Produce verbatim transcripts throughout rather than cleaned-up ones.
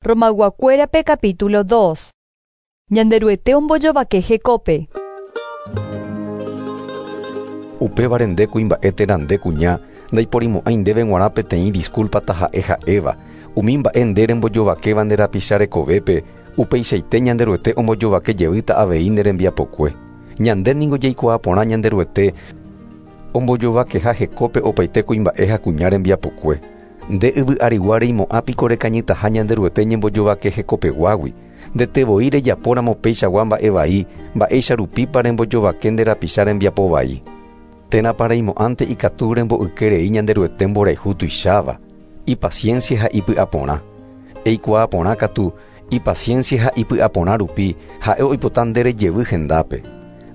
Romayguakuérape capítulo dos. Ñanderuete ombojovake hekópe. Upévare nde kuimba'e térã nde kuña ndaiporimo'ãi ndéve g̃uarã peteĩ disculpa taha'e ha'éva umi mba'e nde rembojovakéva nde rapicha rekovépe upeichaite Ñanderuete ombojovake jeýta avei nde rembiapokue. Ñande ningo jaikuaa porã Ñanderuete ombojovakeha hekópe opaite kuimba'e ha kuña rembiapokue. Nde yvy arigua reimo'ã piko rekañytaha Ñanderuete ñembojovake hekopeguágui. Ndete voi rejapóramo peichagua mba'e vai, mba'éicha rupípa rembojovake nde rapicha rembiapo vai. Térãpa reimo'ãnte ikatu remboyke rei Ñanderuete mborayhu tuicháva, ipaciencia ha ipy'aporã. Eikuaa porã katu, ipaciencia ha ipy'aporã rupi ha'e oipota nde rejevy hendápe.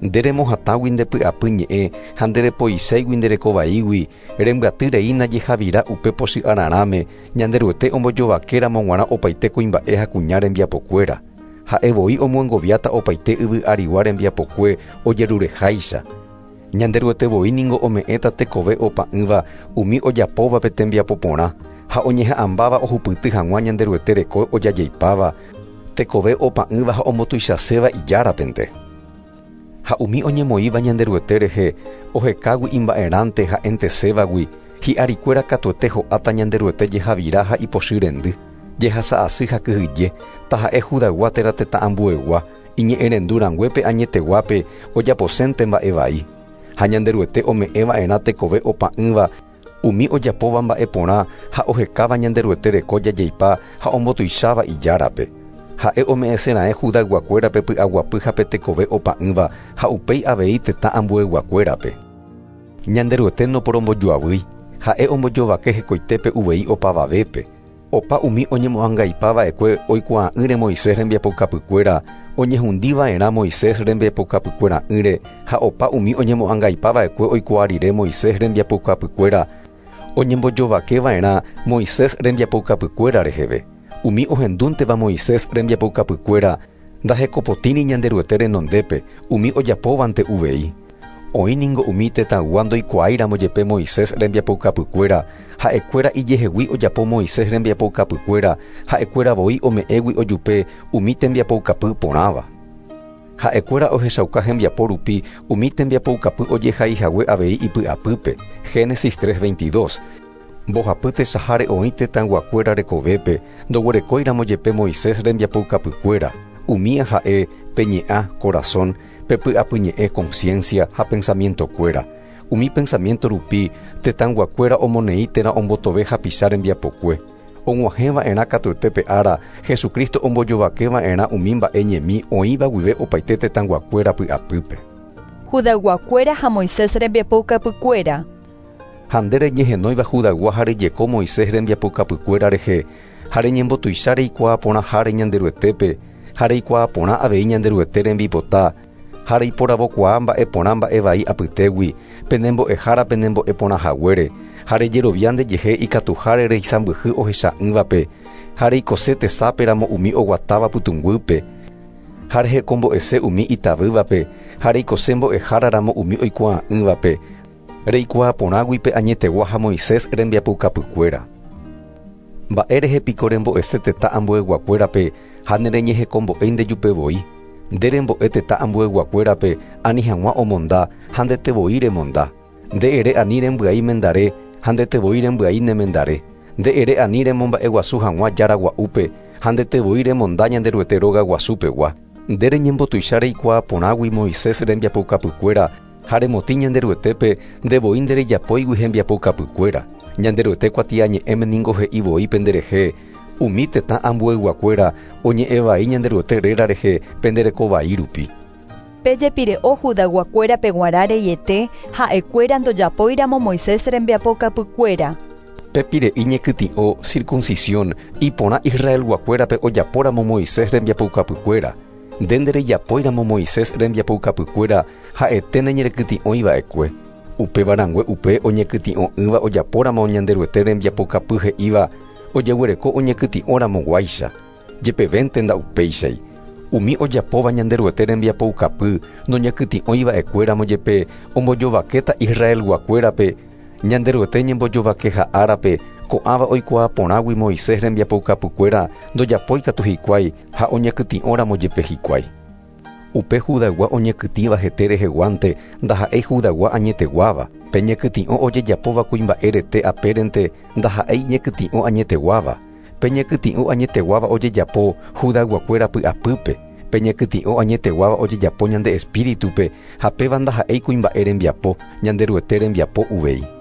Nde remohatãgui nde py'apy ñe'ẽ ha nde repoiséigui nde rekovaígui rembyaty reína jehavira upe pochy'ararãme Ñanderuete ombojovakéramo g̃uarã opaite kuimba'e ha kuña rembiapokuéra. Ha'e voi omyengoviáta opaite yvy arigua rembiapokue ojerureháicha. Ñanderuete voi ningo ome'ẽta tekove opa'ỹva umi ojapóvape tembiapo porã ha oñeha'ãmbáva ohupyty hag̃ua Ñanderuete reko ojajeipáva, tekove opa'ỹva ha ombotuichaséva ijárapente. Ha umi oñemoĩva Ñanderuete rehe ohekágui imba'erãnte ha'entesévagui hi'arikuéra katuete ho'áta Ñanderuete jehavira ha ipochy rendy, jehasa'asy ha kyhyje, taha'e Judaygua térã tetã ambuegua, iñe'ẽrendu rãnguépe añeteguápe ojaposénte mba'e vai. Ha Ñanderuete ome'ẽva'erã tekove opa'ỹva umi ojapóva mba'e porã ha ohekáva Ñanderuete reko jajeipa ha ombotuicháva ijárape. Ha'e ome'ẽsera'ẽ Judayguakuérape py'aguapy ha pe tekove opa'ỹva ha upéi avei tetã ambueyguakuérape. Ñanderuete noporombojoavýi, ha'e ombojovake hekoitépe uvei opavavépe. Opa umi oñemo'ãngaipava'ekue oikuaa'ỹre Moisés rembiapokapykuéra, oñehundiva'erã Moisés rembiapokapykuera'ỹre ha opa umi oñemo'ãngaipava'ekue oikuaa rire Moisés rembiapokapykuéra, oñembojovakeva'erã Moisés rembiapokapykuéra reheve. Umi ohendúnteva Moisés rembiapokapykuéra ndahekopotĩri Ñanderuete renondépe, umi ojapóvante uvei. Oĩ ningo umi tetãygua ndoikuaáiramo jepe Moisés rembiapokapykuéra, ha'ekuéra ijehegui ojapo Moisés rembiapokapykuéra, ha'ekuéra voi ome'ẽgui ojupe umi tembiapokapy porãva. Ha'ekuéra ohechauka hembiapo rupi umi tembiapoukapy ojehaihague avei ipy'apýpe. Génesis tres veintidós. Mbohapy tesaháre oĩ tetãyguakuéra rekovépe ndoguerekóiramo jepe Moisés rembiapoukapykuéra. Umía ha'e pe ñe'ã corazón, pe py'apyñe'ẽ conciencia ha pensamientokuéra. Umi pensamiento rupi tetãyguakuéra omoneĩ térã ombotove hapicha rembiapokue. Og̃uahẽva'erã katuete pe ára Jesucristo ombojovakeva'erã umi mba'e ñemi oĩva guive opaite tetãyguakuéra py'apýpe. Judayguakuéra ha Moisés rembiapoukapykuéra. Ha nde reñehenóiva Judaygua ha rejeko Moisés rembiapokapykuéra rehe, ha reñembotuicha reikuaa porãháre Ñanderuetépe, ha reikuaa porã avei Ñanderuete rembipota, ha reiporavokuaa mba'e porã mba'e vai apytégui, penembo'ehára penembo'e porãhaguére, ha rejerovia ndejehe ikatuháre reisãmbyhy ohecha'ỹvape, ha reikose tesáperamo umi oguatáva pytũnguýpe, ha rehekombo'ese umi itavývape, ha reikose mbo'eháraramo umi oikuaa'ỹvape, reikuaa porãgui pe añetegua ha Moisés rembiapoukapykuéra. Mba'e rehe piko rembo'ese tetã ambueyguakuérape ha nereñehekombo'éi ndejupe voi. Nde rembo'e tetã ambueyguakuérape ani hag̃ua omonda ha ndete voi remonda. Nde ere ani rembyai mendare ha ndete voi rembyai ne mendare. Nde ere ani remomba'eguasu hag̃ua jára gua'úpe ha ndete voi remonda Ñanderuete róga guasupegua. Nde reñembotuicha reikuaa porãgui Moisés rembiapoukapykuéra ha remotĩ Ñanderuetépe nde voi nderejapóigui hembiapoukapykuéra. Ñanderuete kuatiañe'ẽme ningo he'i voi penderehe umi tetã ambueyguakuéra oñe'ẽvai Ñanderuete réra rehe penderekovai rupi. Pejepire'o Judayguakuérape g̃uarã reiete ha'ekuéra ndojapóiramo Moisés rembiapokapykuéra. Pe pire'i ñekytĩ'o circuncisión iporã Israelguakuérape ojapóramo Moisés rembiapoukapykuéra. Nde nderejapóiramo Moisés rembiapoukapykuéra ha'ete neñerekytĩ'oiva'ekue. Upéva rãngue upe oñekytĩ'o'ỹva ojapóramo Ñanderuete rembiapokapy he'íva ojeguereko oñekytĩ'óramo guáicha. Jepevénte nda'upéichai. Umi ojapóva Ñanderuete rembiapoukapy noñekytĩ'oiva'ekuéramo jepe ombojovakéta Israelguakuérape Ñanderuete ñembojovakeha árape Ko'ãva oikuaa porãgui Moisés rembiapoukapykuéra ndojapóikatu hikuái ha oñekytĩ'óramo jepe hikuái. Upe Judaygua oñekytĩva hete reheguánte ndaha'éi Judaygua añeteguáva. Pe ñekytĩ'o ojejapóva kuimba'e rete apérente ndaha'éi ñekytĩ'o añeteguáva. Pe ñekytĩ'o añeteguáva ojejapo Judayguakuéra py'apýpe. Pe ñekytĩ'o añeteguáva ojejapo ñande espíritupe ha péva ndaha'éi kuimba'e rembiapo, Ñanderuete rembiapo uvei.